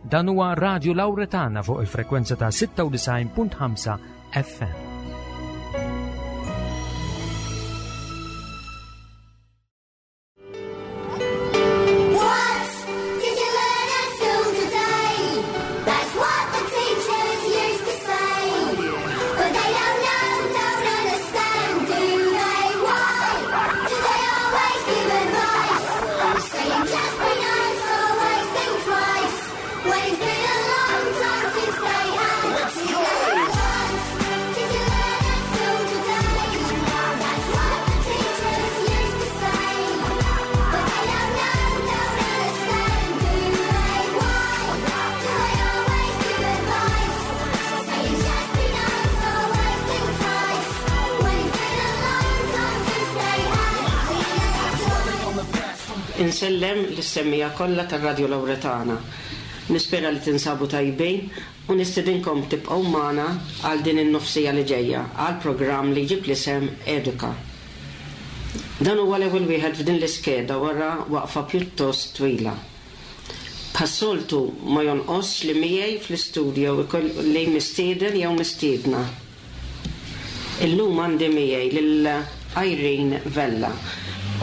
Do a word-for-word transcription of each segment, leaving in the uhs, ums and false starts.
Dan huwa Radio Lauretana fuq il-frekwenza ta' sitta u disgħin punt ħamsa F M. What did you learn at school today? That's what the teachers used to say. But they don't know, don't understand, do they? Why do they always give advice? Saying just be nice, always think twice. When it's been a long time since they had to learn. What did you learn at school today? That's what the teachers used to say. But they don't know, don't understand, do they? Why do they always give advice? Saying just be nice, always think twice. When it's been a long time since they had to learn. Insellem lis-semmiegħa kollha tar-Radio Lauretana. Nispera li tinsabu tajbin u nistedinkom tibqgħu magħna għal din in-nofs siegħa li ġejja għal programm li jġib l-isem Eduka. Dan huwa l-ewwel wieħed f'din l-iskeda wara waqfa pjuttost twila. Bħas-soltu ma jonqos li miegħi fl-istudio ikolli mistieden jew mistiedna. Illum għandi miegħi lil Irene Vella,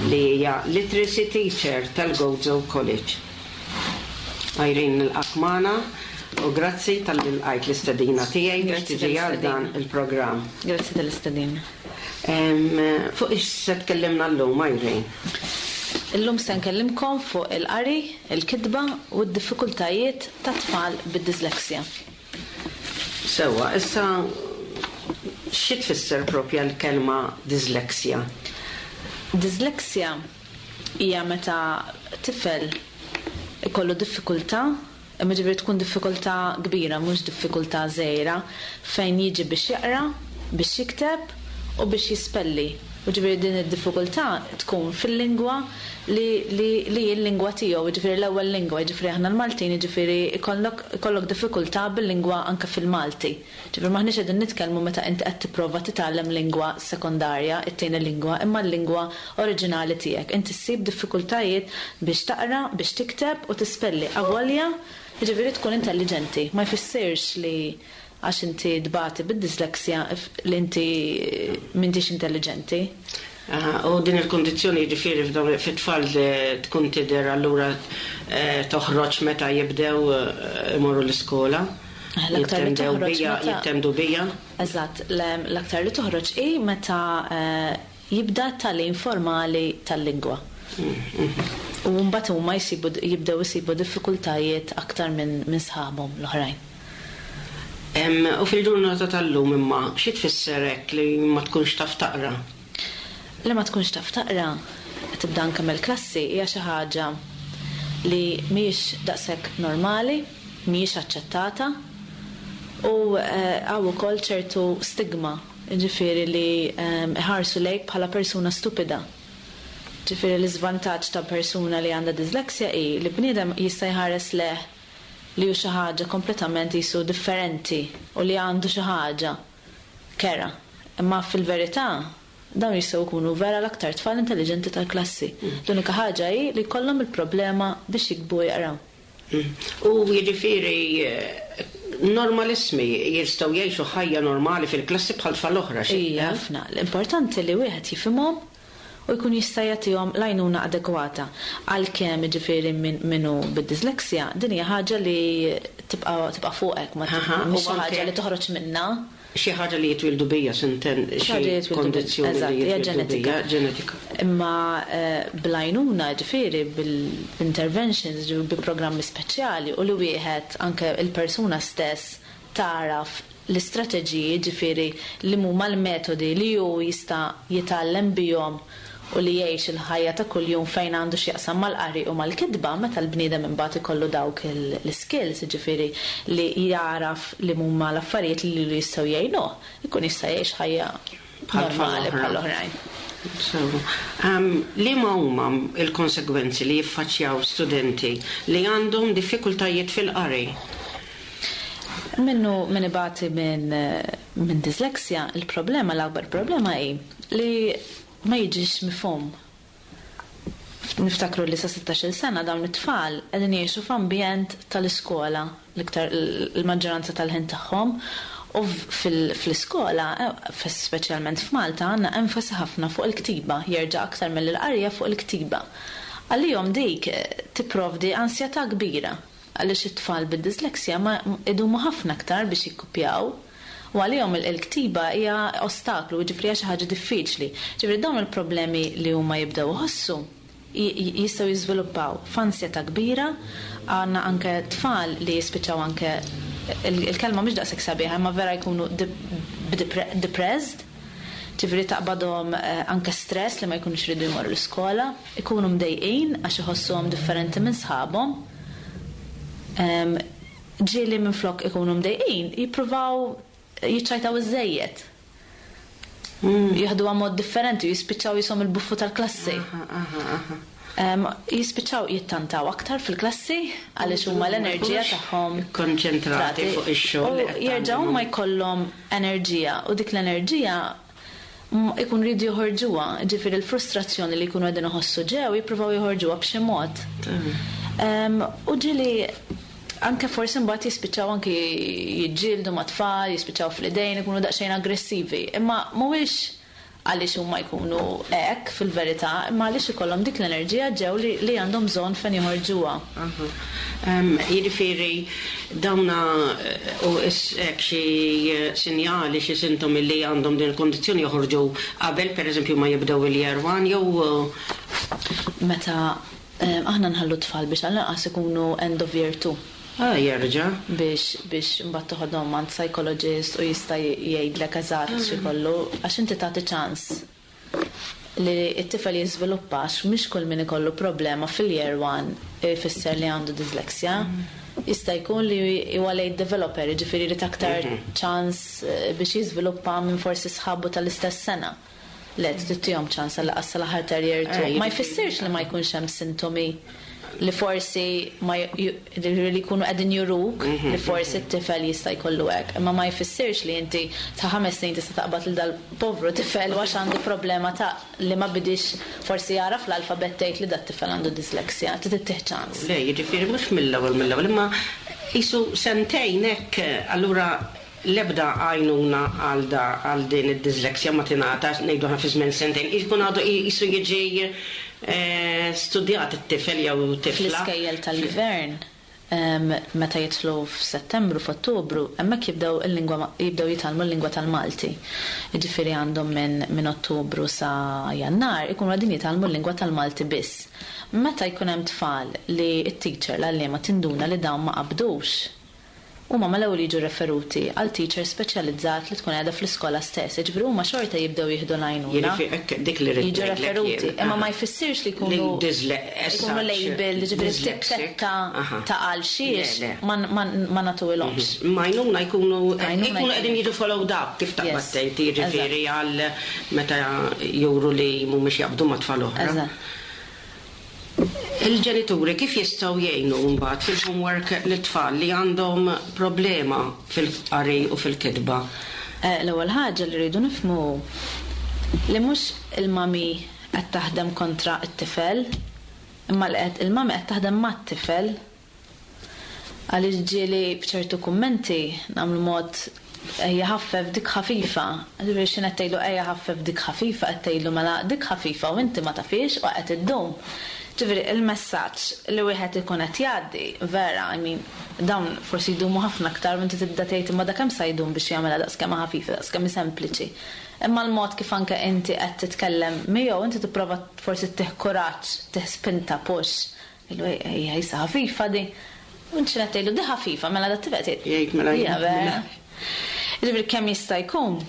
li hija literacy teacher tal-Gozo College. Irene, nilqgħek magħna u grazzi talli lqajt l-istedina tiegħi biex Grazzi tiġi għal dan tal-istedina. il-programm. Grazzi tal-istedina. Em, Fuq ix se tkellimna llum, Irene? Illum se nkellimkom fuq il-qari, il-kitba u d-diffikultajiet ta' tfal bid-disleksja. Sewwa, issa xi tfisser propja l-kelma disleksja? Disleksja hija meta tifel ikollu diffikultà, imma ġifieri tkun diffikultà kbira, mhux diffikultà żgħira, fejn jiġi biex jaqra, biex jikteb u biex jispelli. U ġifieri din id-diffikultà tkun fil-lingwa li li li l-lingwa tiegħu, ġifieri l-ewwel lingwa, ġifieri aħna l-Maltin, ġifieri ikollok ikollok diffikultà bil-lingwa anke fil-Malti. Ġifieri m'aħniex qegħdin nitkellmu meta inti qed tipprova titgħallem lingwa sekondarja, it-tieni lingwa, imma l-lingwa oriġinali tiegħek. Inti ssib diffikultajiet biex taqra, biex tikteb u tispelli. Avolja, ġifieri tkun intelligenti. Ma jfissirx li għax inti tbati bid-disleksja li inti m'intix intelligenti. Aha, u din il-kondizzjoni ġifieri f'dawn fit-tfal tkun tidher allura eh, toħroġ meta jibdew eh, imorru l-iskola? L-aktar li Jittendew toħroġ bija, meta- jittendu bija? Eżatt, l- l-aktar li toħroġ hi meta eh, jibda tagħlim formali tal-lingwa. U mbagħad huma jsibu jibdew isibu diffikultajiet aktar minn min sħabhom l-oħrajn. Em, U fil-ġurnata tal-lum imma, xi tfisser hekk li ma tkunx taf taqra? Li ma tkunx taf taqra, tibda anke mill-klassi, hija xi ħaġa li mhijiex daqshekk normali, mhijiex aċċettata u eh, hawn ukoll ċertu stigma, ġifieri li eh, iħarsu lejk bħala persuna stupida. Ġifieri l-iżvantaġġ ta' persuna li għandha disleksja hi li bniedem jista' jħares lejh li hu xi ħaġa kompletament jisu differenti u li għandu xi ħaġa kerha. Imma fil-verità dawn jistgħu jkunu vera l-aktar tfal intelligenti tal-klassi. L-unika ħaġa hi li jkollhom il-problema biex jiktbu u jaqraw. Mm. U jiġifieri eh, normalissimi jistgħu jgħixu ħajja normali fil-klassi bħal tfal oħra xi? Ija, ħafna. L-importanti li wieħed jifhimhom u jkun jista' jagħtihom l-għajnuna adegwata. Għalkemm ġifieri min minnu bid-disleksja, din hija ħaġa li tibqa' tibqa' fuqek, ma Aha, mhix u xi ħaġa anke li toħroġ minnha. Xi ħaġa li jitwildu bija, s'intendi, Xi ħaġa li xi jitwildu bija, kondizzjoni eżatt, li hija jitwildu ġenetika. bija, ġenetika. Imma eh, bl-għajnuna ġifieri bil-interventions, ġifieri bi programmi speċjali u li wieħed anke il-persuna stess taraf l-istrateġiji, ġifieri li huma l-metodi li hu jista' jitgħallem bihom u li jgħix il-ħajja ta' kuljum fejn għandu x'jaqsam mal-qari u mal-kitba, meta l-bniedem imbagħad ikollu dawk il- l-skills, ġifieri li jaraf li huma l-affarijiet li lilu jistgħu jgħinuh, ikun jista' jgħix ħajja Bħal tfal normali oħra. bħal oħrajn. So, um, li ma huma il-konsegwenzi li jiffaċċjaw studenti li għandhom diffikultajiet fil-qari? Minnu min ibati minn min disleksja, il-problema, l-akbar problema hi li ma jiġix mifhum. Niftakru li sa sittax-il sena dawn it-tfal qegħdin jgħixu f'ambjent tal-iskola l-iktar il-maġġoranza tal-ħin tagħhom u fl-iskola, eh, speċjalment f'Malta, għandna enfasi ħafna fuq il-ktiba, jerġa' aktar mill-qarja fuq il-ktiba. Għalihom dik eh, tipprovdi ansjetà kbira għaliex it-tfal bid-disleksja ma idumu ħafna aktar biex jikkupjaw u għalihom il-ktiba hija ostaklu, ġifieri xi ħaġa diffiċli. Ġifieri dawn il-problemi li huma jibdew iħossu jistgħu jiżviluppaw f'ansjetà kbira, għandna anke tfal li jispiċċaw anke, il-kelma mhix daqshekk sabiħa, imma vera jkunu depressed, ġifieri taqbadhom eh, anke stress li ma jkunux ridu jmorru l-iskola, ikunu mdejqin għax iħossuhom differenti minn sħabhom. Ġieli minn flok ikunu mdejqin, jippruvaw jiċċajtaw iż-żejjed. Mm. Jieħdu mod differenti, jispiċċaw jisom il-buffu tal-klassi. Jispiċċaw jittantaw aktar fil-klassi għaliex huma l-enerġija tagħhom konċentrati fuq ix-xogħol. U jerġgħu ma jkollhom enerġija u dik l-enerġija ikun ridu joħorġuha, ġifieri l-frustrazzjoni li jkunu qegħdin iħossu ġew jippruvaw joħorġuha b'xi mod. U ġieli anke forsi mbagħad jispiċċaw anke jiġġieldu ma' tfal, jispiċċaw fl-idejn, ikunu daqsxejn aggressivi. Imma mhuwiex għaliex huma jkunu hekk fil-verità, imma għaliex ikollhom dik l-enerġija ġew li, li għandhom bżonn fejn joħorġuha. Jiġifieri dawna eh, u hekk xi sinjali, xi sintomi li għandhom din il-kondizzjoni joħorġu qabel pereżempju ma jibdew il-year one jew Meta aħna nħallu tfal biex għall-inqas ikunu end of year two. Ah, jerġa'. Biex biex mbagħad toħodhom għand psychologist u jista' jgħidlek eżatt mm. x'ikollu, għax inti tagħti ċans li t-tifel jiżviluppa, għax mhix kull min ikollu problema fil-year one ifisser li għandu dyslexia. Mm. Jista' jkun li huwa late developer, jiġifieri li aktar mhm. ċans eh, biex jiżviluppa minn forsi sħabu tal-istess sena. Le, tagħtihom ċans għal sal-aħħar year two. Eh, ma jfissirx li ma jkunx hemm sintomi li forsi ma li jkunu qegħdin juruk mhm, li forsi mhm. t-tifel jista' jkollu hekk. Imma ma jfissirx li inti ta' ħames snin tista' taqbad lil dal-povru tifel għax għandu problema ta' li ma bidix forsi jara fl-alfabet tgħid li dat-tifel għandu disleksja, trid ittih ċans. Le, jiġifieri mhux mill-ewwel mill-ewwel, imma jisu sentejn hekk, allura l-ebda għajnuna għal da għal din id-disleksja ma tingħata, ngħidu aħna fi żmien sentejn, jkun għadu jisu jiġi eh, studjat it-tifel jew tifla. Fl-iskejjel tal-gvern, meta jidħlu f'Settembru, f'Ottubru, hemmhekk jibdew il-lingwa jibdew jitgħallmu l-lingwa tal-Malti. Jiġifieri għandhom minn min Ottubru sa Jannar ikunu qegħdin jitgħallmu l-lingwa tal-Malti biss. Meta jkun hemm tfal li t-teacher l-għalliema tinduna li dawn ma qabdux, huma mal-ewwel jiġu referuti għal teacher speċjalizzat li tkun qiegħda fl-iskola stess. Jiġifieri huma xorta jibdew jieħdu l-għajnuna. Jiġifieri hekk dik li rrid Jiġu ngħidlek referuti, jien. imma ma Aha. jfissirx li Li jkunu disle- as jkunu such, label, ġifieri dyslexic. tikketta Aha. ta' għal xiex Le, le. ma ma ma nagħtuhilhomx. Ma għajnuna jkunu Għajnuna jkunu qegħdin jiġu followed up kif taqbad Yes. tgħid, jiġifieri għal meta juru li mhumiex jaqbdu ma' tfal oħra. Eżatt. Il-ġenituri kif jistgħu jgħinu mbagħad fil-homework lit-tfal li għandhom problema fil-qari u fil-kitba? Eh, L-ewwel ħaġa li rridu nifhmu li mhux il-mami qed taħdem kontra t-tifel, imma li qed il-mami qed taħdem mat-tifel. Għaliex ġieli b'ċertu kummenti nagħmlu mod ejja ħaffef dik ħafifa. Ġifieri x'inhu qed tgħidlu ejja ħaffef dik ħafifa, qed tgħidlu mela dik ħafifa u inti ma tafix u qed iddum. Ġifieri il-messaġġ li wieħed ikun qed jgħaddi, vera, I mean, dawn forsi jdumu ħafna aktar u inti tibda tgħid imma dak kemm sa jdum biex jagħmilha daqskemm ħafifa, daqskemm sempliċi. Imma l-mod kif anke inti qed titkellem miegħu inti tipprova forsi ttih kuraġġ, ttih spinta, push. Ilu ejja issa ħafifa di. U inti qed tgħidlu di ħafifa, mela da tifel tgħid. Jgħid mela Jiena jgħid vera. mela. Ġifieri kemm jista' jkun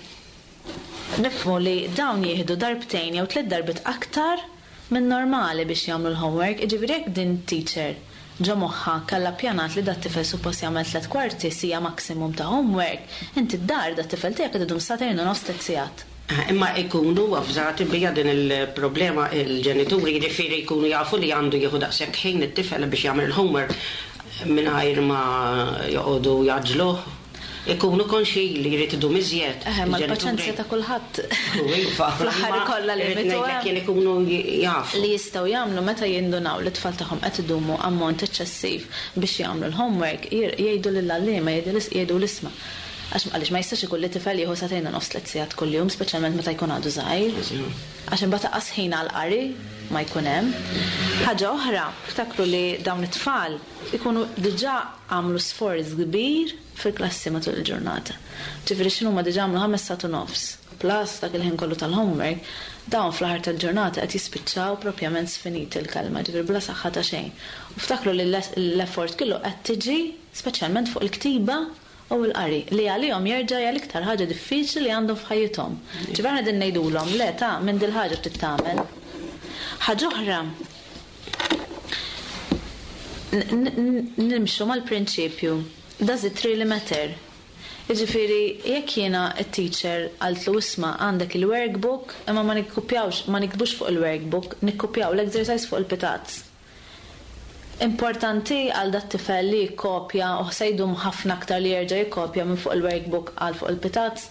nifhmu li dawn jieħdu darbtejn jew tliet darbiet aktar minn normali biex jagħmlu l-homework, jiġifieri jekk din teacher ġo moħħha kellha pjanat li dat tifel suppost jagħmel tliet kwarti sija maximum ta' homework, inti d-dar dat tifel tiegħek qed idum sagħtejn u nofs tliet sigħat. Ah, imma jkunu avżati bija din il-problema il-ġenituri, jiġifieri jkunu jafu li għandu jieħu daqshekk ħin it-tifel biex jagħmel il-homework mingħajr ma joqogħdu jgħaġġluh. Ikunu konxi li jrid idum iżjed. Eħe, ma l-paċenzja ta' kulħadd. Iva. Fl-aħħar ikollha Irrid limitu ngħidlek hemm. jien ikunu jafu. Li jistgħu jagħmlu meta jindunaw li t-tfal tagħhom qed idumu ammont eċċessiv biex jagħmlu l-homework, jir- jgħidu lill-għalliema, jgħidu lis- jgħidu l-isma'. Għax għaliex ma jistax ikun li tifel jieħu sagħtejn u nofs, tliet sigħat kuljum, speċjalment meta jkun għadu żgħir. Għax imbagħad anqas ħin għal qari ma jkun hemm. Ħaġa oħra, ftakru li dawn it-tfal ikunu diġà għamlu sforz kbir fil-klassi matul il-ġurnata. Ġifieri x'inhu ma diġà għamlu ħames sigħat u nofs, plus dak il-ħin kollu tal-homework, dawn fl-aħħar tal-ġurnata qed jispiċċaw propjament sfiniti l-kelma, ġifieri bla saħħa ta' xejn. U ftakru li l-effort kollu qed tiġi speċjalment fuq il-ktiba u l-qari li għalihom jerġa' hija l-iktar ħaġa diffiċli li għandhom f'ħajjithom. Ġifieri aħna din ngħidulhom le ta' minn dil-ħaġa trid tagħmel. Ħaġa oħra, n- n- nimxu mal-prinċipju, does it really matter? Jiġifieri, jekk jiena t-teacher qaltlu, "Isma', għandek il-workbook, imma ma nikkupjawx, ma niktbux fuq il-workbook, nikkupjaw l-exercise fuq il-pitazz." Importanti għal dat tifel li jikkopja u se jdum ħafna aktar li jerġa' jikkopja minn fuq il-workbook għal fuq il-pitazz?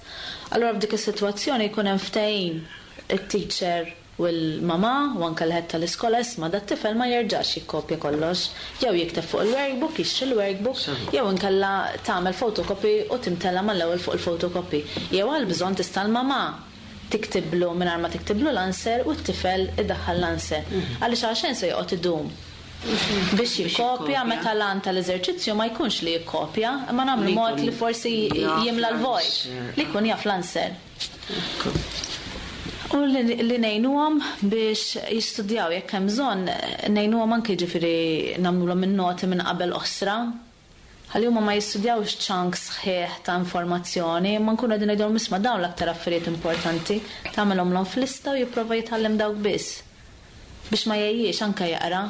Allura f'dik is-sitwazzjoni jkun hemm ftehim it-teacher u l-mama u anke l-head tal-iskola, "Isma', dat tifel ma jerġax jikkopja kollox. Jew jikteb fuq il-workbook, jixtri il-workbook, jew inkella tagħmel photocopy u timtela mal-ewwel fuq il-photocopy. Jew għal bżonn tista' l-mama tiktiblu mingħajr ma tiktiblu l-answer u t-tifel idaħħal l-answer." Għaliex għaxen se joqgħod idum biex jikkopja meta l-għan tal-eżerċizzju ma jkunx li jikkopja, imma nagħmlu Li mod jkun li forsi jaf jimla l-vojt, l-answer. li jkun jaf l-answer. U li, li ngħinuhom biex jistudjaw jekk hemm bżonn, ngħinuhom anke, ġifieri nagħmluhom in-noti minn qabel qosra. Ħalli huma ma jistudjawx chunks sħiħ ta' informazzjoni, ma nkunu qegħdin ngħidulhom, "Isma', dawn l-aktar affarijiet importanti," tagħmelhomlhom f'lista u jipprova jitgħallem dawk biss. Biex ma jgħejjiex anke jaqra,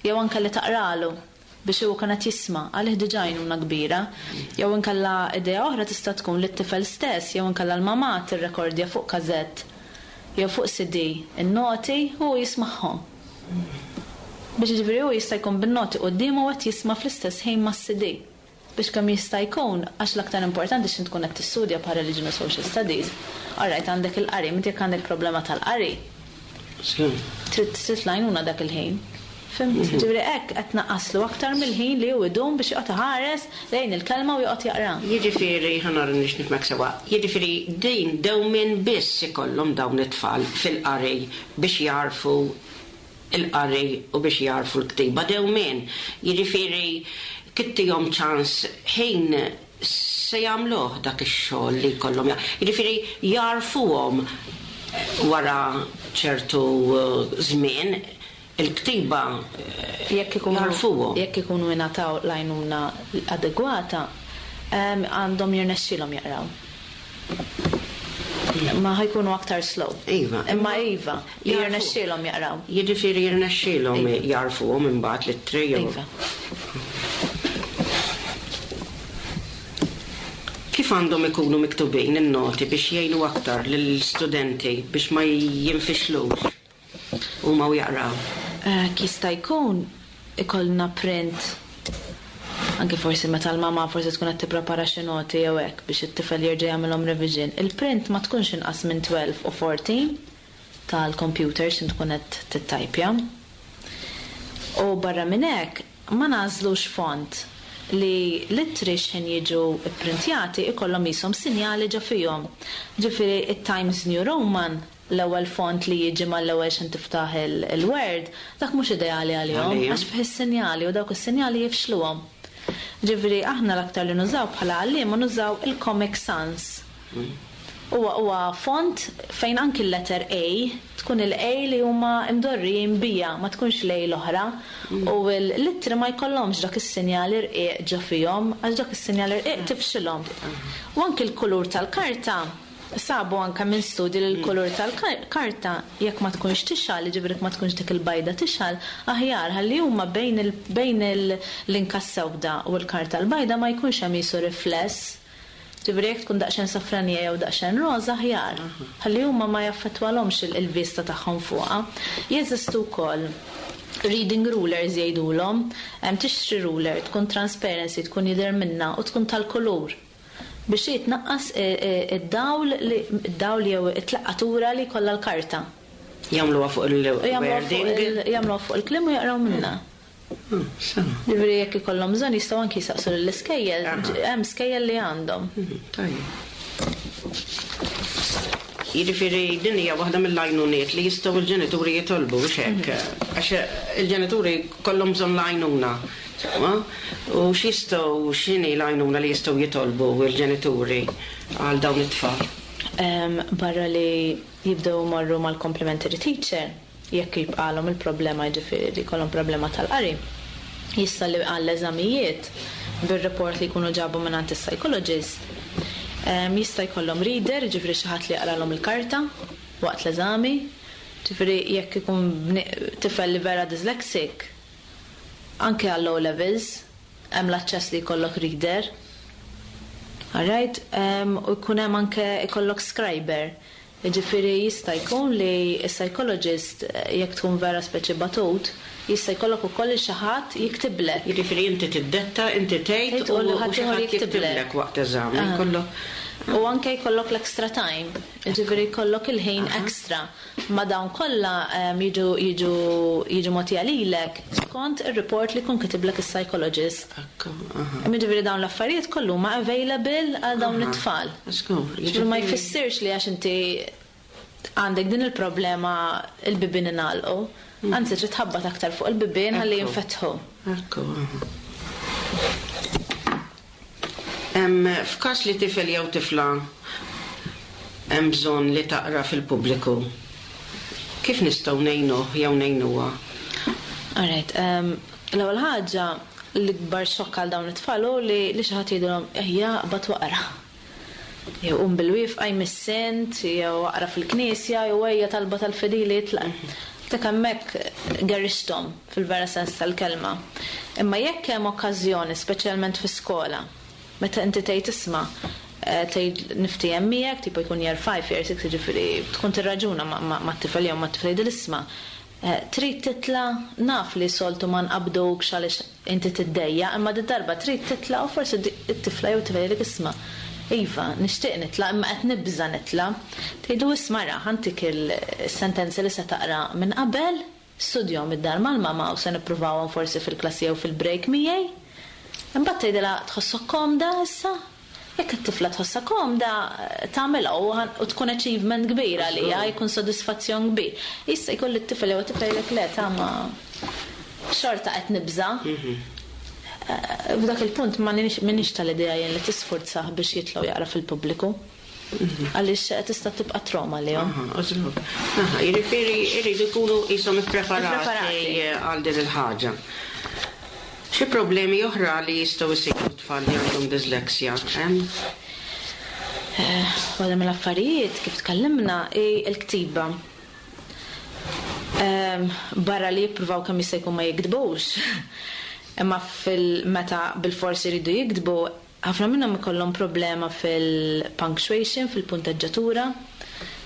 jew anke li taqralu biex hu kienet jisma' għalih diġà għajnuna kbira. Jew inkella idea oħra tista' tkun li t-tifel stess jew inkella l-mamà tirrekordja fuq kazett jew fuq C D in-noti u jismagħhom. Biex ġifieri hu jista' jkun bin-noti quddiemu u qed jisma' fl-istess ħin mas-C D. Biex kemm jista' jkun, għax l-aktar importanti x'int tkun qed tistudja bħal religion u social studies. Alright, għandek il-qari, inti jekk għandek problema tal-qari, trid trid l-għajnuna dak il-ħin. Fhimt? Ġifieri hekk qed naqqaslu aktar mill-ħin li hu idum biex joqgħod iħares lejn il-kelma u joqgħod jaqra. Jiġifieri, ħa nara nix nifhmek sewwa, jiġifieri din dewmien biss ikollhom dawn it-tfal fil-qari biex jarfu il-qari u biex jarfu l-ktiba dewmien. Jiġifieri kittihom ċans ħin se jagħmluh dak ix-xogħol li jkollhom. Jiġifieri jarfuhom wara ċertu eh, żmien il-ktiba eh, Jekk ikunu jarfuhom. Jekk ikunu ingħataw l-għajnuna adegwata, em, għandhom jirnexxilhom jaqraw. Ma ħa jkunu aktar slow. Iva. Imma iva, Jarfu. jirnexxilhom jaqraw. Jiġifieri jirnexxielhom Iva. jarfuhom imbagħad l-ittri jew- Iva. Kif għandhom ikunu miktubin in-noti biex jgħinu aktar lill-studenti biex ma jinfixlux huma u jaqraw? Eh, Jista' jkun ikollna print anke forsi meta l-mama forsi tkun qed tipprepara xi noti jew hekk biex it-tifel jerġa' jagħmilhom revision. Il-print ma tkunx inqas minn tnax u erbatax tal-computer x'in tkun qed tittajpja. U barra minn hekk ma nagħżlux font li l-ittri x'ħin jiġu pprintjati ikollhom qishom sinjali ġo fihom. Ġifieri it-Times New Roman, l-ewwel font li jiġi mal-ewwel x'in tiftaħ il- il-Word, dak mhux ideali għalihom Għalihom. għax fih is-sinjali u dawk is-sinjali jifxluhom. Ġifieri aħna l-aktar li nużaw bħala għalliema nużaw il-Comic Sans. Huwa huwa font fejn anki l-letter A tkun il-A li huma imdorrijin bija, ma tkunx l-A l-oħra. U l-ittri ma jkollhomx dak is-sinjali rqiq ġo fihom, għax dak is-sinjali rqiq tifxilhom. U anki l-kulur tal-karta, sabu anka minn studji li l-kulur tal-karta jekk ma tkunx tixgħel, ġifieri ma tkunx dik il-bajda tixgħel, aħjar ħalli huma bejn il- bejn il- l-inka sewda u l-karta l-bajda ma jkunx hemm qisu rifless. Ġifieri jekk tkun daqsxejn safranija jew daqsxejn roża aħjar. Ħalli huma ma jaffettwalhomx il- il-vista tagħhom fuqha. Jeżistu wkoll reading rulers jgħidulhom, hemm tixtri ruler tkun transparency, tkun jidher minna u tkun tal-kulur. Biex jitnaqqas id-dawl id-dawl jew it-tlaqqatura li kollha l-karta. Jagħmluha fuq il-wording. Jagħmluha fuq il-kliem u jaqraw minnha. Hmm, Ġifieri jekk ikollhom bżonn jistgħu anki jistaqsu lill-iskejjel, hemm skejjel li għandhom. Mhm, tajjeb. Jiġifieri din hija waħda mill-għajnuniet li jistgħu l-ġenituri jitolbu biex hekk. Mhm. Għax il-ġenituri kollhom bżonn l-għajnuna. U x'jistgħu, x'inhi l-għajnuna li jistgħu jitolbu l-ġenituri għal dawn it-tfal? Barra li jibdew imorru mal-complementary teacher, jekk jibqalhom il-problema, jiġifieri li jkollhom problema tal-qari, jista' li għall-eżamijiet bir-report li jkunu ġabu mingħand is-psychologist, jista' jkollhom reader, ġifieri xi ħadd li jaqralhom il-karta waqt l-eżami, ġifieri jekk ikun tifel li vera dyslexic, anke għall O levels hemm l-aċċess li jkollok reader. Alright, u jkun hemm anke jkollok scriber. Ġifieri jista' jkun li s-psychologist, jekk tkun vera speċi batut, jista' jkollok ukoll xi ħadd jiktiblek. Jiġifieri inti tiddetta, inti tgħid u u xi ħadd jiktiblek waqt eżami. Jkollok U anke jkollok l-extra time, ġifieri jkollok il-ħin extra. Ma dawn kollha jiġu jiġu jiġu mogħtija lilek skont ir-report li jkun kitiblek is-psychologist. Ġifieri dawn l-affarijiet kollu ma available għal dawn it-tfal. Ġifieri ma jfissirx li għax inti għandek din il-problema il-bibien ingħalqu. Anzi, trid tħabbat aktar fuq il-bibien ħalli jinfetħu. Ekku. F'każ li tifel jew tifla hemm bżonn li taqra fil-pubbliku, kif nistgħu ngħinuh jew ngħinuha? Alright, l-ewwel ħaġa, l-ikbar xokk għal dawn it-tfal hu li li xi ħadd jgħidilhom ejja aqbad waqra. Jew qum bil-wieqfa jmiss int, jew aqra fil-knisja, jew ejja talba tal-fidili jitlaq. Dak hemmhekk gerrixthom fil-vera sens tal-kelma. Imma jekk hemm okkażjoni, speċjalment fi skola, meta inti tgħid isma', tgħid niftiehem miegħek, tipo jkun year five, year six, jiġifieri tkun tirraġuna mat-tifel jew mat-tifla, jgħidil isma', trid titla', naf li soltu ma nqabdukx għaliex inti tiddejja, imma di darba trid titla' u forsi it-tifla jew tifel jgħidlek isma', iva, nixtieq nitla', imma qed nibża' nitla'. Tgħidu isma' ra, ħantik il-sentenzi li se taqra minn qabel, studjahom id-dar mal-mama u se nippruvawhom forsi fil-klassi jew fil-break miegħi. Imbagħad tgħidilha tħossok komda issa? Jekk it-tifla tħossha komda, tagħmilha u tkun achievement kbir għaliha, jkun sodisfazzjon kbir. Issa jkolli t-tifel jew t-tifla jgħidlek le ta' ma xorta qed nibża'. F'dak il-punt ma minix tal-idea jien li tisfurzah biex jitilgħu jaqra fil-pubbliku. Għaliex tista' tibqa' trauma lihom. Aha, jiġifieri jridu jkunu qishom ippreparati għal din il-ħaġa. Xi problemi oħra li jistgħu jsibu tfal li għandhom dyslexia, hemm? Waħda mill-affarijiet kif tkellimna hi l-ktiba. Barra li jippruvaw kemm jista' jkun ma jiktbux. Imma fil-meta bil-forsi jridu jiktbu, ħafna minnhom ikollhom problema fil-punctuation, fil-punteġġatura.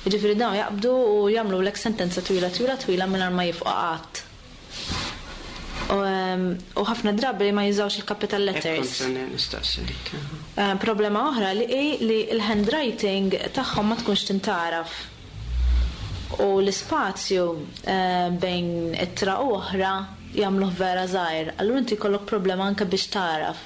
Jiġifieri dawn jaqbdu u jagħmlu lek sentenza twila twila twila mingħajr ma jifqu qatt. U ħafna drabi ma jużawx il-capital letters. Problema oħra li hi li l-handwriting tagħhom ma tkunx tintaraf. U l-ispazju bejn ittra u oħra jagħmluh vera żgħir. Allura inti jkollok problema anke biex taraf.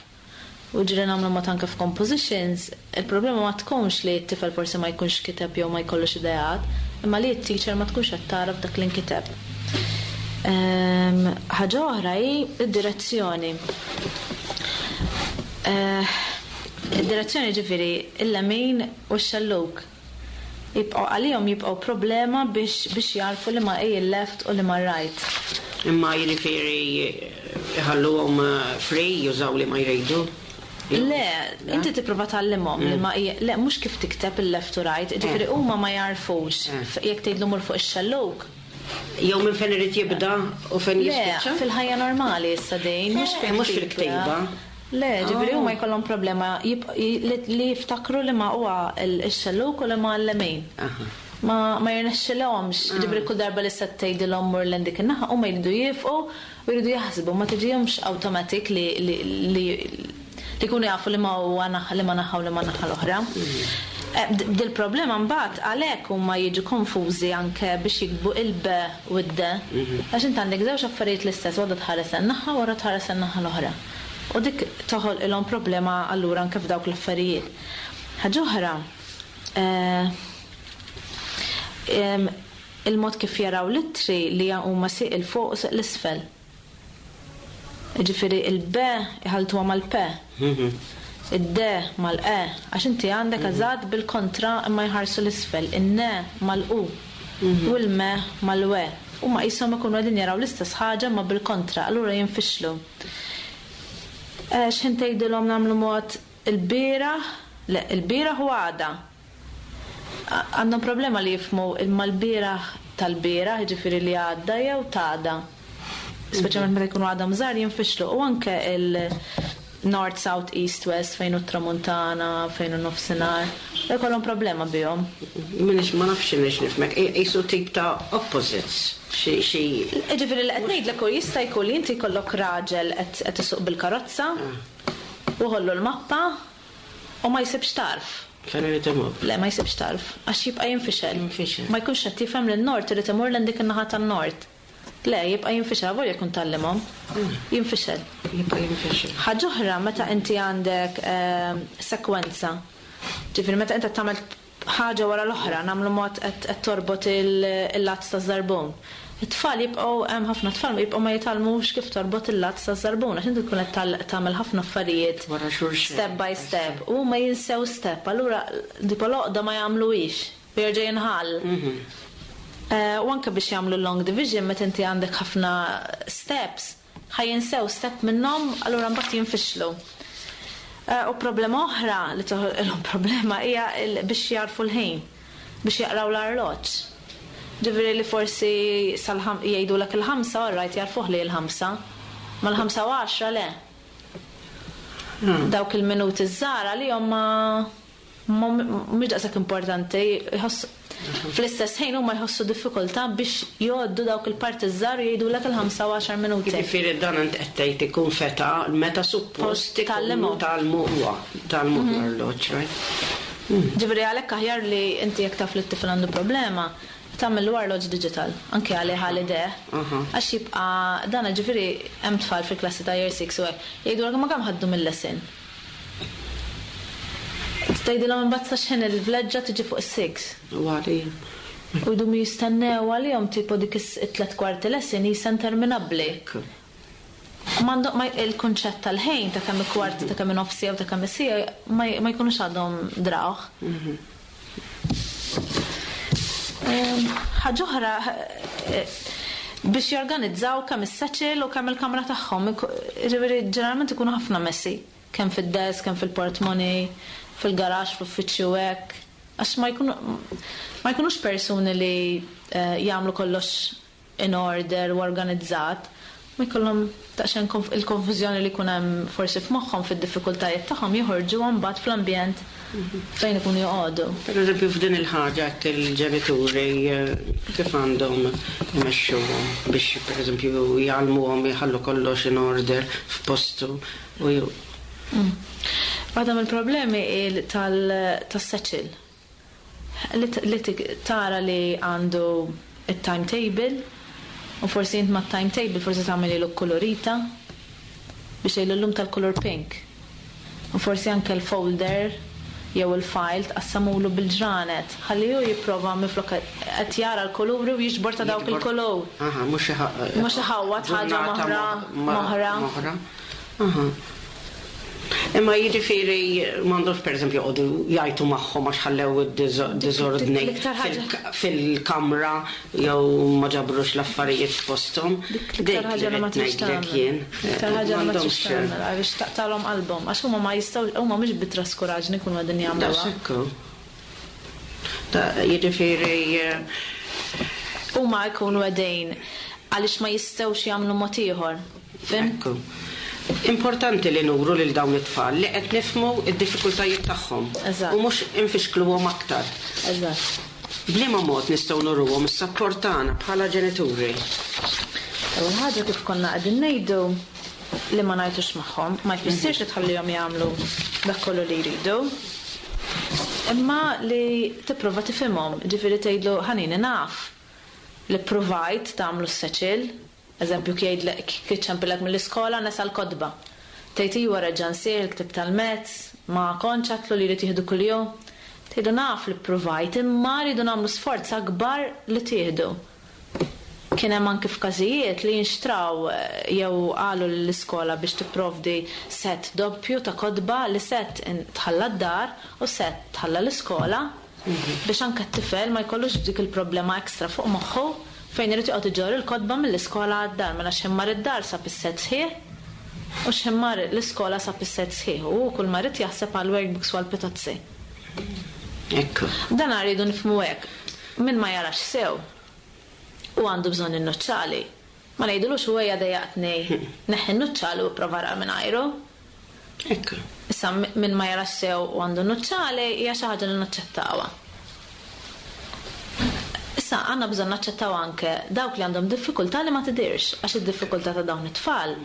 U ġieli nagħmlu mod anke f'compositions, il-problema ma tkunx li t-tifel forsi ma jkunx kiteb jew ma jkollux ideat, imma li t-teacher ma tkunx qed taraf dak li nkiteb. Ħaġa oħra hi d-direzzjoni. Id-direzzjoni ġifieri il-lemin u x-xellug. Jibqgħu għalihom jibqgħu problema biex biex jarfu li ma hi l-left u li ma right. Imma jiġifieri iħalluhom free jużaw li ma jridu? Le, inti tipprova tgħallimhom li ma hi, le mhux kif tikteb il-left u right, jiġifieri huma ma jarfux jekk tgħidlu mur fuq ix-xellug. Jew minn fejn irid jibda u fejn jispiċċa? Le, fil-ħajja normali issa din, mhux mhux fil-ktiba. Le, ġifieri huma jkollhom problema li jiftakru li ma huwa x-xellug u li ma l-lemin. Ma ma jirnexxilhomx, ġifieri kull darba li se tgħidilhom mur lejn dik in-naħa huma jridu jifqu u jridu jaħsbu, ma tiġihomx automatic li li Li jkunu jafu li ma huwa naħa li ma naħa u li ma naħa l-oħra. Eh, d- Dil-problema mbagħad għalhekk huma jiġu konfużi anke biex jiktbu il-B u d-D. Għax int għandek żewġ affarijiet l-istess, waħda tħares in-naħa u waħda tħares in-naħa l-oħra. U dik toħolqilhom problema allura anke f'dawk l-affarijiet. Ħaġa oħra, eh, em, il-mod kif jaraw l-ittri li huma sieq 'il fuq u sieq 'l isfel. Ġifieri il-B iħaltuha mal-P. Id-D mal-E, għax inti għandek eżatt bil-kontra imma jħarsu l-isfel, in-N mal-U u l-M mal-W. U ma qishom ikunu qegħdin jaraw l-istess ħaġa ma bil-kontra, allura jinfixlu. Eh, X'ħin tgħidilhom nagħmlu mod il-bieraħ, le, il-bieraħ u għada. Għandhom problema li jifhmu imma l-bieraħ tal-bieraħ, ġifieri li għadda jew t'għada. Speċjalment meta jkunu għadhom żgħar jinfixlu. U anke il-North, South, East, West, fejn hu tramuntana, fejn hu nofsinhar, jkollhom problema bihom. Minix ma nafx nix nifhmek, qisu tip ta' opposites. Xi xi Ġifieri li qed ngħidlek hu jista' jkun li inti jkollok raġel qed qed isuq bil-karozza u ħollu l-mappa u ma jsibx tarf. Fejn irid imur. Le, ma jsibx tarf, għax jibqa' jinfixel. Jinfixel. Ma jkunx qed jifhem li n-nord irid imur lejn dik in-naħa tan-nord. Le, jibqa' jinfixel, avolja jkun tgħallimhom. Jinfixel. Jibqa' jinfixel. Ħaġa oħra meta inti għandek ehm, sekwenza. Ġifieri meta inti tagħmel ħaġa wara l-oħra, nagħmlu mod qed qed torbot il-lazz ta' żarbun. It-tfal jibqgħu hemm ħafna tfal jibqgħu ma jitgħallmux kif torbot il-lazz ta' żarbun għax inti tkun qed tal- tagħmel ħafna affarijiet Wara xulxin. step by step u ma jinsew step, allura tipo l-għoqda ma jagħmluhiex, jerġa' jinħall. Eh, U anke biex jagħmlu long division meta inti għandek ħafna steps, ħa jinsew step minnhom, allura mbagħad jinfixlu. Eh, U problema oħra li toħolqilhom problema hija il- biex jarfu l-ħin, biex jaqraw l-arloġġ. Ġifieri li forsi sal-ħam jgħidulek il-ħamsa, all right, jarfuh li l-ħamsa. Ma l-ħamsa u għaxra le. Dawk il-minuti żgħar li ma mhux daqshekk importanti, jħossu fl-istess ħin huma jħossu diffikultà biex jgħoddu dawk il-parti żgħar u jgħidulek il-ħamsa u għaxar minuti. Jiġifieri dan int qed tgħid ikun feta meta suppost ikunu Tgħallimhom. tgħallmu huwa, tgħallmu l-arloġġ, right? Ġifieri għalhekk aħjar li inti jekk taf li t-tifel għandu problema, tagħmel l-arloġġ digital, anke għalih għal ideh. Aha. Għax jibqa' dan ġifieri hemm tfal fil-klassi ta' year six u hekk, jgħidulek ma kemm ħaddu mill-lesson. Tgħidilhom imbagħad sa x'ħin il-vleġġa tiġi fuq is-six. U għali. U jdumu jistennew għalihom tipo dik is-tlet kwarti lesson jisa interminabbli. Ekku. M'għandhom ma il-kunċett tal-ħin ta' kemm kwart ta' kemm nofs siegħa u ta' kemm siegħa ma ma jkunux għadhom drawh. Ehm, Ħaġa oħra eh, biex jorganizzaw kemm is-satchel u kemm il-kamra tagħhom. Ġifieri ġeneralment ikunu ħafna messy, kemm fid-desk, kemm fil-portmoney, fil-garaxx, fl-uffiċċju hekk. Għax ma jkunu ma jkunux persuni li eh, jagħmlu kollox in order u organizzat. Ma jkollhom daqsxejn konf- il-konfużjoni li jkun hemm forsi f'moħħhom fid-diffikultajiet tagħhom joħorġu mbagħad fl-ambjent fejn ikunu joqogħdu. Per eżempju, f'din il-ħaġa qed il-ġenituri eh, kif għandhom imexxuhom biex per eżempju jgħallmuhom jħallu kollox in order f'postu u ju. Waħda mill-problemi il tal- tas-satchel. Li t- li tik- tara li għandu il-timetable u forsi int ma timetable forsi tagħmel ilu kolorita biex jgħidu llum tal-color pink. U forsi anke l-folder jew il-file tqassamulu bil-ġranet. Ħalli hu jipprova minflok qed jara l-kuluri u jiġbor ta' dawk il-kulur. Aha, mhux Mhux iħawwad ħaġa ġurnata moħra, mo- ma- moħra. Moħra. Aha. Imma jiġifieri m'għandhomx pereżempju joqogħdu jgħajtu magħhom għax ħallew id-diżordni L-iktar ħaġa- fil- fil-kamra jew ma ġabrux l-affarijiet f'posthom. Dik l-iktar ħaġa li ma Dik trix ngħidlek tagħmel. jien. L-iktar ħaġa li ma trix M'għandhomx- tagħmel għaliex taqtalhom qalbhom għax huma ma jistgħu huma mhux bit-traskuraġni jkunu qegħdin jagħmluha. Daqshekk. Ta' jiġifieri eh, Huma jkunu qegħdin għaliex ma jistgħux jagħmlu mod ieħor. Fhimt? Ekku. Importanti li nuru lil dawn it-tfal li qed nifhmu id-diffikultajiet tagħhom. Eżatt. U mhux infixkluhom aktar. Eżatt. B'liema mod nistgħu nuruhom is-sapport tagħna bħala ġenituri. Ewwel ħaġa kif konna qegħdin ngħidu li ma ngħajtux magħhom, ma jfissirx li tħallihom jagħmlu dak kollu li jridu. Imma li tipprova tifhimhom, ġifieri tgħidlu, "Ħanini, naf li provajt tagħmlu s-satchel," eżempju jgħidlek iċempillek mill-iskola, nesa l-kotba. Tgħid, "Iwa, reġa' nsir il-ktieb tal-maths, ma kontx għedtlu li jrid jieħdu kuljum." Tgħidu, "Naf li provajt, imma rridu nagħmlu sforz akbar li tieħdu." Kien hemm anke f'każijiet li jinxtraw eh, jew qalu l-iskola biex tipprovdi set doppju ta' kotba, li set tħalla d-dar u set tħalla l-iskola, biex anke t-tifel ma jkollux dik il-problema ekstra fuq moħħu fejn irid joqgħod iġorr il-kotba mill-iskola għad-dar, mela x'ħin mar id-dar sab is-set sħiħ u x'ħin mar l-iskola sab is-set sħiħ u kull ma rid jaħseb għal workbooks u għal pitozzi. Ekku. Dan rridu nifhmu hekk. Min ma jarax sew u għandu bżonn in-nuċċali, ma ngħidulux, "Ejja, dejjaqtni, neħħi n-nuċċali u prova ara mingħajru." Ekku. Issa min ma jarax sew u għandu nuċċali hija xi ħaġa li naċċettawha. Issa għandna bżonn naċċettaw anke dawk li għandhom diffikultà li ma tidirx, għax id-diffikultà ta' dawn it-tfal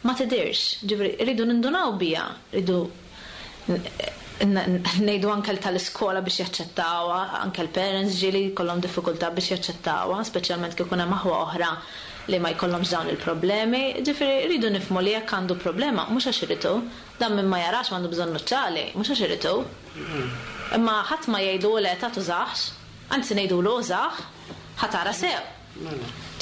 ma tidirx. Ġifieri rridu nindunaw biha, rridu ngħidu anke tal-iskola biex jaċċettawha, anke l-parents ġieli jkollhom diffikultà biex jaċċettawha, speċjalment kif ikun hemm aħwa oħra li ma jkollhomx dawn il-problemi. Ġifieri rridu nifhmu li jekk għandu problema mhux għax iridu, dan min ma jarax m'għandu bżonn nuċċali, mhux għax iridu. Imma ħadd ma jgħidu, "Le, ta' tużax," anzi ngħidulu, "Użah, ħa tara sew."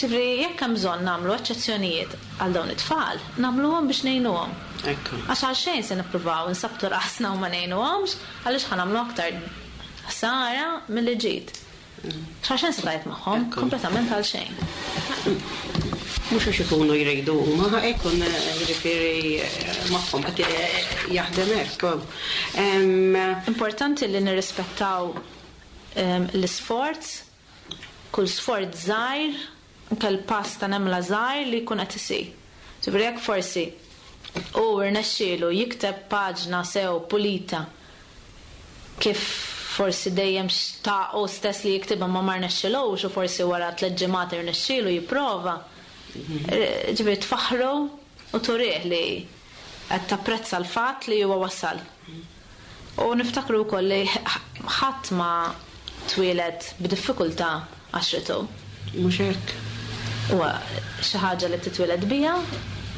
Ġifieri jekk hemm bżonn nagħmlu eċċezzjonijiet għal dawn it-tfal, nagħmluhom biex ngħinuhom. Ekku. Għax għal xejn se nippruvaw nsabbtu rasna u ma ngħinuhomx, għaliex ħa nagħmlu aktar ħsara milli ġid. Għal xejn se tgħid magħhom, Ekku. kompletament għal xejn. Mhux għax ikunu jridu huma, ikun jiġifieri magħhom qed jaħdem hekk. Em, Importanti li nirrispettaw em, l-isforz, kull sforz żgħir, anke l-pass ta' nemla żgħir li jkun qed isir. Ġifieri jekk forsi u rnexxielu jikteb paġna sew pulita kif forsi dejjem xtaqu stess li jiktibha ma ma rnexxilux u forsi wara tliet ġimgħat irnexxielu jipprova. Ġifieri tfaħru u turih li qed tapprezza l-fatt li huwa wasal. U niftakru wkoll li ħadd ma twieled b'diffikultà għax ried. Mhux hekk. Huwa xi ħaġa li titwieled biha,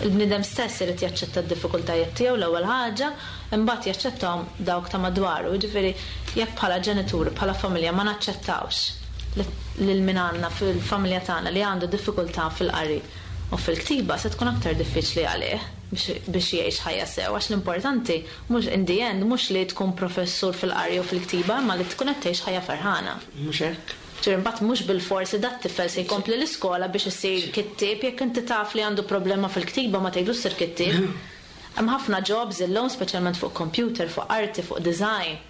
il-bniedem stess irid jaċċetta d-diffikultajiet tiegħu l-ewwel ħaġa, imbagħad jaċċettahom dawk ta' madwaru. Jiġifieri jekk bħala ġenituri, bħala familja ma naċċettawx lil min għandna fil-familja tagħna li għandu diffikultà fil-qari u fil-ktiba, se tkun aktar diffiċli għalih biex biex jgħix ħajja sew, għax l-importanti mhux in the end mhux li tkun professur fil-qari u fil-ktiba, imma li tkun qed tgħix ħajja ferħana. Mhux hekk. Ġifieri mbagħad mhux bil-forsi dat tifel se jkompli l-iskola biex isir kittieb, jekk inti taf li għandu problema fil-ktiba ma tgħidlux sir kittieb. Hemm ħafna jobs illum, speċjalment fuq computer, fuq arti, fuq design,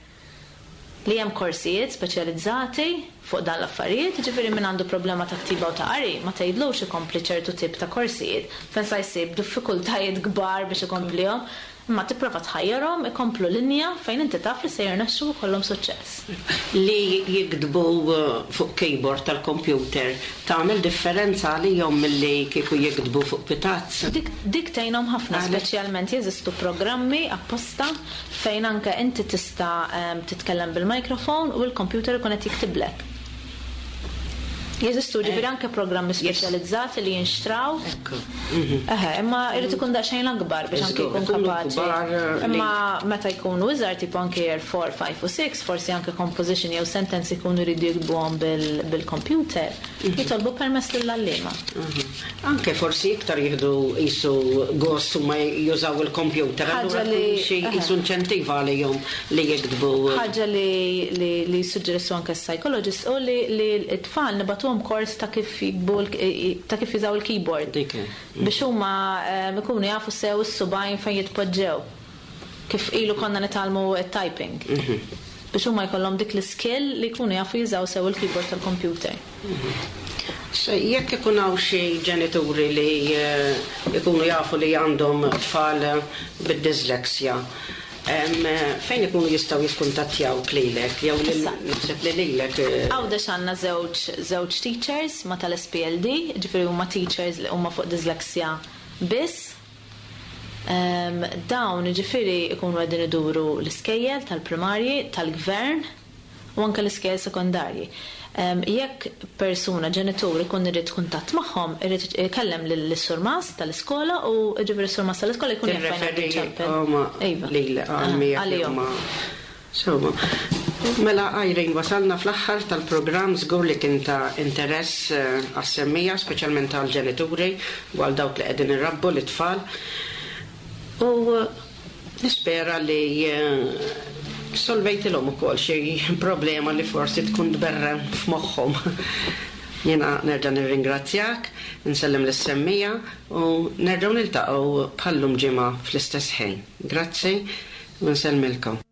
li hemm korsijiet speċjalizzati fuq dan l-affarijiet, ġifieri min għandu problema ta' ktiba u ta' qari, ma tgħidlux ikompli ċertu tip ta' korsijiet, fejn sa jsib diffikultajiet kbar biex ikomplihom, imma tipprova tħajjarhom ikomplu linja fejn inti taf li se jirnexxu u jkollhom suċċess. Li jiktbu uh, fuq keyboard tal-computer tagħmel differenza għalihom milli kieku jiktbu fuq pitazz? Dik, dik tgħinhom ħafna, Għalek? speċjalment jeżistu programmi apposta fejn anke inti tista' em, titkellem bil-mikrofon u l-computer ikun qed jiktiblek. Jeżistu ġifieri anke programmi speċjalizzati li jinxtraw. Ekku. Eħe, imma irid ikun daqsxejn akbar biex anke Żgur, jkun ikunu kapaċi. kbar, eh, Imma meta jkunu iżgħar, tipo anke year four, five u six, forsi anke composition jew sentence ikunu jridu jiktbuhom bil- bil-computer, jitolbu permess lill-għalliema. Mhm. Anke forsi iktar jieħdu jisu gost u ma jużaw il-computer. Ħaġa Allura li- tkun xi eħe. jisu inċentiva għalihom li jiktbu. Ħaġa li li li suġġerissu anke psychologist u li li t-tfal nibagħtuhom kors ta' kif jiktbu l- ta' kif jużaw il-keyboard. Dik. Biex huma em, ikunu jafu sew is-subgħajn fejn jitpoġġew. Kif ilu konna nitgħallmu it-typing. Biex huma jkollhom dik l-skill li jkunu jafu jużaw sew il-keyboard tal-computer. Se jekk ikun hawn xi ġenituri li eh, ikunu jafu li għandhom tfal bid-dyslexia, em, eh, fejn ikunu jistgħu jikkuntattjaw lilek jew lil Issa. naħseb li lilek eh, Għawdex għandna żewġ żewġ teachers ma tal-S P L D, ġifieri huma teachers li huma fuq dyslexia biss. Em, Dawn ġifieri ikunu qegħdin iduru l-iskejjel tal-primarji, tal-gvern u anke l-iskejjel sekondarji. Em, Jekk persuna, ġenitur ikun irid kuntatt magħhom, irid ikellem lill-surmas tal-iskola u ġifieri s-surmas tal-iskola jkun jaf fejn Tirreferi għandu ċempel. huma Iva. lil Ah, għal-mija għalihom. Sewwa. Mela Irene, wasalna fl-aħħar tal-programm. Żgur li kien ta' interess eh, għas-semmiegħa, speċjalment għal-ġenituri u għal dawk li qegħdin irabbu l-itfal. U eh, nispera li eh, solvejtilhom ukoll xi problema li forsi tkun tberren f'moħħhom. Jiena nerġa' nirringrazzjak, nsellem lis-semmiegħa u nerġgħu niltaqgħu bħallum ġimgħa fl-istess ħin. Grazzi u nsellmilkom.